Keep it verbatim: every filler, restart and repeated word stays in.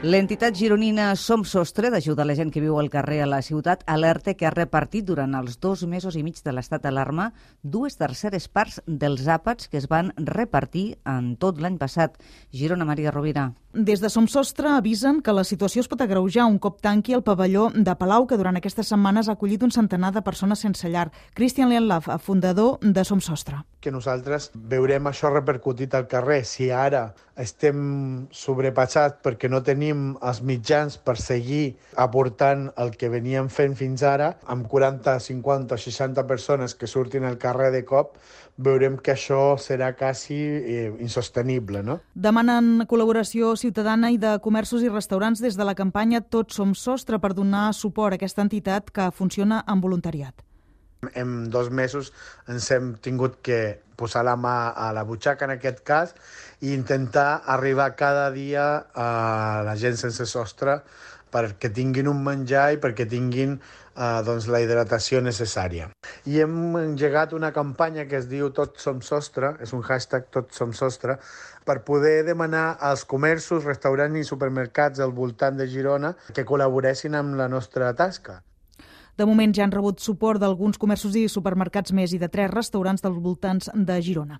L'entitat gironina Som Sostre, d'ajuda a la gent que viu al carrer a la ciutat, alerta que ha repartit durant els dos mesos i mig de l'estat d'alarma dues terceres parts dels àpats que es van repartir en tot l'any passat. Girona, Maria Rovira. Des de Som Sostre avisen que la situació es pot agreujar un cop tanqui el pavelló de Palau, que durant aquestes setmanes ha acollit un centenar de persones sense llar. Cristian Lianlaf, fundador de Som Sostre. Que nosaltres veurem això repercutit al carrer. Si ara estem sobrepassats perquè no tenim els mitjans per seguir aportant el que veníem fent fins ara, amb quaranta, cinquanta o seixanta persones que surtin al carrer de cop, veurem que això serà quasi eh, insostenible, no? Demanen col·laboració ciutadana i de comerços i restaurants des de la campanya Tots Som Sostre per donar suport a aquesta entitat que funciona amb voluntariat. En dos mesos ens hem tingut que posar la mà a la butxaca, en aquest cas, i intentar arribar cada dia a la gent sense sostre perquè tinguin un menjar i perquè tinguin eh, doncs, la hidratació necessària. I hem engegat una campanya que es diu Tots Som Sostre, és un hashtag Tots Som Sostre, per poder demanar als comerços, restaurants i supermercats al voltant de Girona que col·laboressin amb la nostra tasca. De moment ja han rebut suport d'alguns comerços i supermercats més i de tres restaurants dels voltants de Girona.